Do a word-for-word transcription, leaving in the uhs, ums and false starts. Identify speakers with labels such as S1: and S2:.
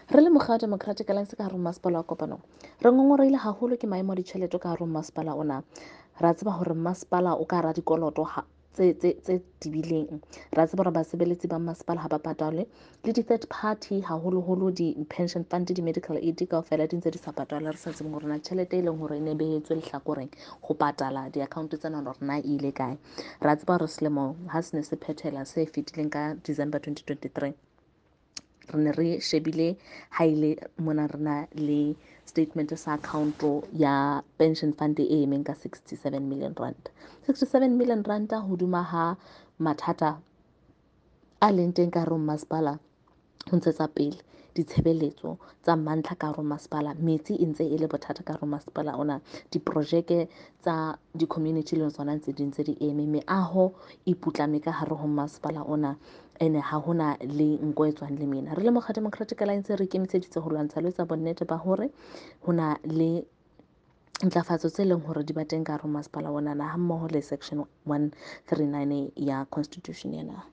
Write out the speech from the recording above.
S1: Re le mokga wa Democratic Alliance ka hare ho masepala wa Kopanong, re ngongorehile haholo ke maemo a ditjhelete ka hare ho masepala ona. Re a tseba hore masepala o ka hara dikoloto tse tse tse tebileng. Re a tseba hore basebeletsi ba masepala ha ba patalwe le di-third party, haholoholo di-pension fund, di-medical aid kaofela di ntse di sa patalwe. Re sa tsebeng hore na tjhelete e leng hore e ne behetswe lehlakoreng ho patala di-account tsena hore na e ile kae. Re a tseba hore selemo ha se ne se phethela se fetileng ka December twenty twenty-three, re ne re shebile ha ile mona re na le statement sa account ya pension fund e emeng ka sixty-seven million rand. sixty-seven million rand hoduma ha mathata a leng teng ka hare ho masepala ho ntshetsa pele ditshebeletso tsa mantlha ka hare ho masepala. Metsi e ntse e le bothata ka hare ho masepala ona. Diprojeke tsa di-community le tsona ntse di ntse di eme. Meaho e putlame ka hare ho masepala ona, ene ha hona le nko e tswang lemina. Re le mokga Democratic Alliance re ikemiseditse ho lwantsha le etsa bonnete ba hore ho na le ntlafatso tse leng hore di ba teng ka hare ho masepala ona na, ha mmoho le section one three nine ya constitution ya naha.